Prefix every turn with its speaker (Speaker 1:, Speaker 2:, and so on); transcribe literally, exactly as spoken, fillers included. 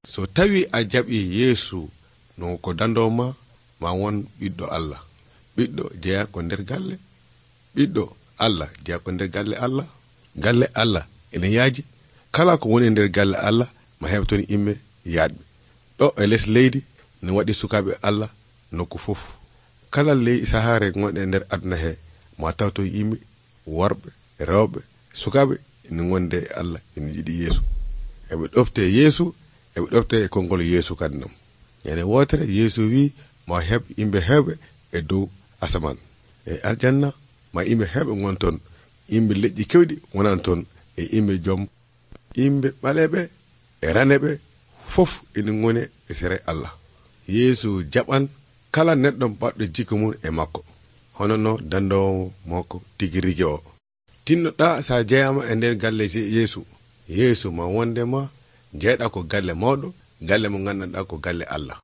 Speaker 1: So tawi a jaɓi Yeesu no ko dandoo ma ma won ɓiɗɗo Allah. Ɓiɗɗo jeya ko nder galle. Ɓiɗɗo Allah jeya ko nder galle Allah. Galle Allah ene yaaji. Kala ko woni nder galle Allah ma heɓton imme yaadɓe. Ɗo e les leydi ne waɗi sukaaɓe Allah nokku fof. Kala ley sahaare gonɗe nder aduna he ma tawto yimɓe worɓe rewɓe sukaaɓe ene gonde Allah ene jiɗi Yeesu. Eɓe ɗofte Yeesu eɓe ɗofte e konngol Yeesu kadinam. Ñande wootere Yeesu wi ma heɓ yimɓe heɓe e dow asaman. E aljanna ma yimɓe heɓe gonton yimɓe leƴƴi kewɗi wonan ton e yimɓe joom yimɓe ɓaleɓe e raneɓe fof ene gone e sere Allah. Yeesu jaɓan kala neɗɗo baɗɗo jikku mum e makko hono no dandowo makko tigi rigi o. Tinnoɗa sa jeyama e nder galle Yeesu, Yeesu ma wonde ma jeyɗa ko galle mawɗo, galle mo gandanɗa ko galle Allah.